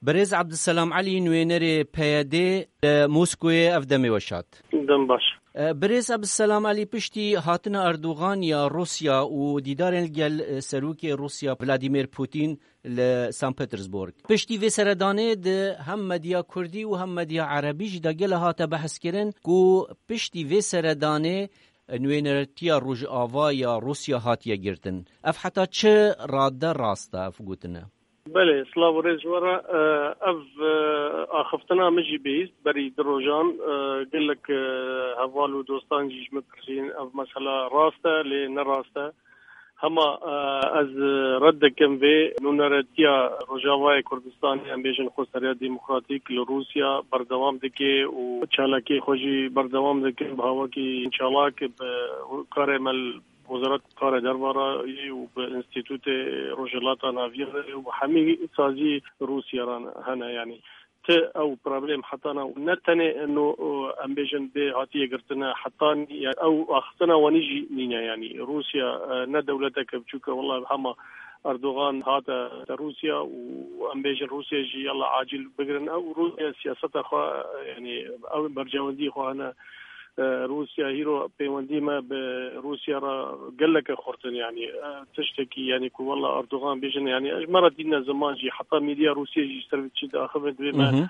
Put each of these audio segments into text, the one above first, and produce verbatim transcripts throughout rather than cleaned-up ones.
Birêz Abdulselam Elî, nûnerê P Y D li Moskoyê, ev demê we şad. Dem baş. E, Birêz Abdulselam Elî, piştî hatina Erdogan ya Rûsya û dîdarên gel, e, serokê Rûsya Vladimir Putin li St. Petersburg, piştî vê seredanê di hem medya kurdî û hem medya erebî jî de gele hate behskirin ku piştî vê seredanê nûnertiya Rojava ya Rûsya hatiye girtin. Ev heta çi rade rast e ev gotine? Belê, silav û rêz ji we re. E, ev, e, axiftina min jî bihîst berî du rojan. E, gelek, e, heval û dostan jî ji min pirsîn, ev mesela rast e, lê ne rast e. Hema, e, ez red dikim vê nûneretiya Rojavayê Kurdistanê, em bêjin Xweseriya Demokratîk li Rûsya berdewam dike û çalakiyê xwe jî berdewam dikin bi hawakî çalak, bi karê me li Wezaret Karê Derve re û bi Înstîtûtê Rojhilata Navîn re û bi hemî sazî Rûsya re hene, yanî. Ti ew problem hetana û ne tenê no, em bêjin bê hatiye girtine, hetan ya ew axiftina wanî jî nîne, yanî Rûsya, e, ne dewleteke biçûk e, wela hema Erdogan hate te Rûsya û em bêjin Rûsya jî yala acîl bigirin. Ew Rûsya siyaseta xwe, yanî ew bercewendî xwe hene. E, Rûsya hîro pêwendî me bi Rûsya re geleke xurt in, yanî, e, tiştekî, yanî ku wela Erdogan bêjin, yanî ji me re tîne ziman jî, heta medya Rûsya jî ji ser vê çi diaxive, divê me Mhm.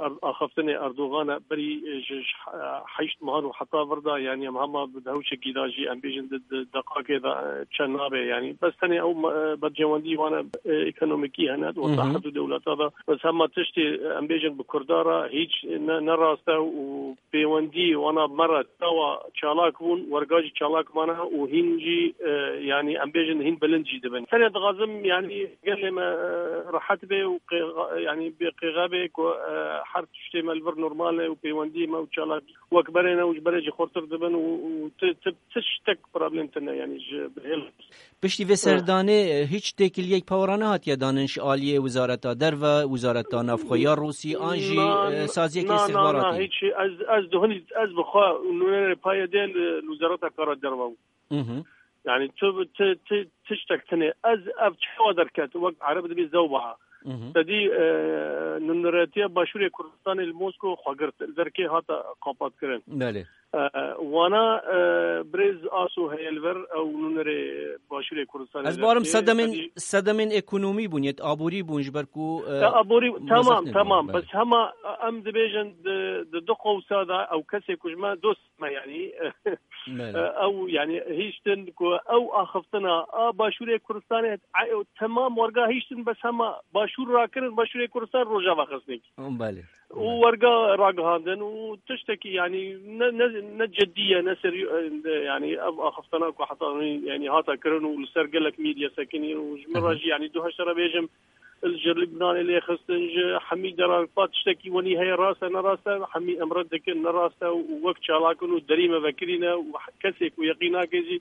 er-, axaftinê Erdogan e berî, e, ji, ji, e, heşt mehan û heta vir de, yanî em hema bi dehewçekî de jî, em bêjin di, di deqakê de, e, çend nabe, yanî bes tenê ew me-, e, bercewendî wan e, e, ekonomîkî hene, di Mhm. wesahet û dewleta de. Bes hema tiştê, e, em bêjin bi Kurda re hîç ne, ne rast e û pêwendî wana me re çawa çalak bûn, werga jî çalak mane û hîn jî, e, yanî em bêjin hîn bilind jî dibin. Tenê dixwazim, yanî gelê me, e, rehet be û qêxa-, yanî bê qêxe be ku, e, her tiştê me li vir normal e û pêwendî me û çalak wek berê ne û ji berê jî xurtir dibin û, û ti, ti, ti tiştek problem tune, yanî ji bihêl. Piştî vê serdanê, e, hiç têkiliyek pawara nehatiye danin ji aliyê Wezareta Derve, Wezareta Navxwe ya Rûsî, an jî, Na, e, saziyeke na, na, istixbaratî? Na, hiç. Ez, ez duhunî, ez bi xwe nûnerê P Y D li, li Wezareta Kara Derve bûm. Mhm. Yani tu, tu, tu, tiştek tune. Ez ev çawa derket, wek Ereb dibê zewbaha. Mhm. Te dî, e, nûneretiya Başûrê Kurdistanê li Mosko xwe girt. Li derkê hate qapatkirin. Belê. E, wana, e, birêz Aso heye li vir, ew nûnerê Başûrê Kurdistanê Ez barim derkê, sedemên, sedî- sedemên ekonomî bûn, yet aborî bûn, ji ber ku, e, E, aborî, mezin tamam, nebûn, tamam. Belê. Bes hema, e, em dibêjin di, di du qewsa de ew kesê ku ji me dost me, yanî, Belê. e, ew, yanî, hiştin ku ew axiftina a Başûrê Kurdistanê, e, ew temam werga hiştin, bes hema Başûr rakirin, Başûrê Kurdistan Rojava xistin. Belê. û Belê. werga ragihandin û tiştekî, yanî ne, ne, ne cidî ye, ne serî-, e, yanî ev axaftana ku heta hûn, yanî hata kirin û li ser gelek medya sekinî û ji min re Aha. jî, yanî du heşt re bêjim, li ji Libnanê lê xistin, ji hemî deran pa tiştekî wenî heye, rast e, ne rast e, hemî em red dikin, ne rast e û wek çalak in û derî me vekirî ne û kesê ku yeqîn nake jî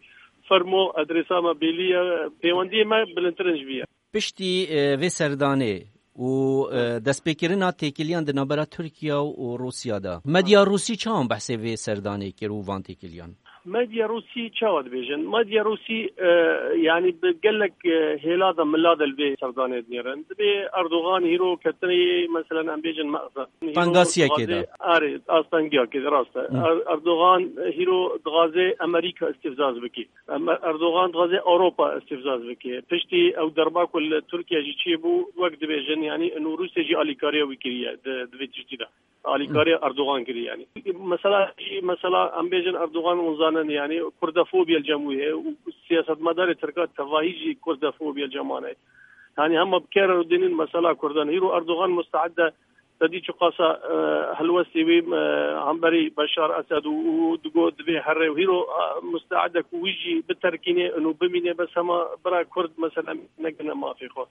fermo, adresa me bêlî ye, pêwendiyê me bilindtir in ji vî ye. Piştî, e, vê serdanê û, e, destpêkirina têkiliyan di navbera Tirkiye û Rûsya de, medya Rûsî çawan behsê vê serdanê kir û van têkiliyan? Medya Rûsî çawa dibêjin? Medya Rûsî, e, yanî bi gelek, e, hêla de mila de li vê serdanê dinêrin. Dibê Erdogan hîro ketinê, meselen, em bêjin mexze. Hîro Tengasiyekê dixwaze, de. Arê, astengiyakê de, rast e. Hı. Er-, Erdogan hîro dixwaze Amerîka îstîfzaz bike. Em, Erdogan dixwaze Ewropa îstîfzaz bike. Piştî ew derba ku li Tirkiye jî çêbû, wek dibêjin, yanî, û Rûsya jî alîkariya wî kiriye di, di vê tiştî de. Alîkariya Erdogan kiriye, yanî. Mesela, mesela, em bêjin Erdogan hûn zanin, yanî, kurdofobiya li cem wî heye û siyasetmedarê Tirka tevahî jî kurdofobiya li cem wan heye. Yanî, hema bi kar re dînin mesela Kurdan. Hîro Erdogan musteed e Te dî çiqasa, e, helwestê wî, e, hemberî Beşar Esed û, û digot divê here û hîro, e, musteed e ku wî jî biterkînê û bimîne, bes hema bira Kurd, mesela, negirine mafê xwe.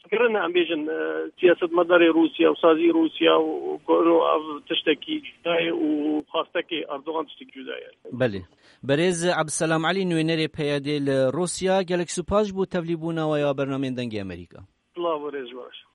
Kirine, em bêjin, e, siyasetmedarê Rûsya û sazî Rûsya û, û ku ino ev tiştekî cuda ye û xwastekê Erdogan tiştekî cuda ye. Belê. Berêz Ebdulselam Elî, nûnerê P Y D li Rûsya, gelek spas ji bo tevlîbûna we ya bernameyên Dengê Amerîka. Silav û rêz ji we re.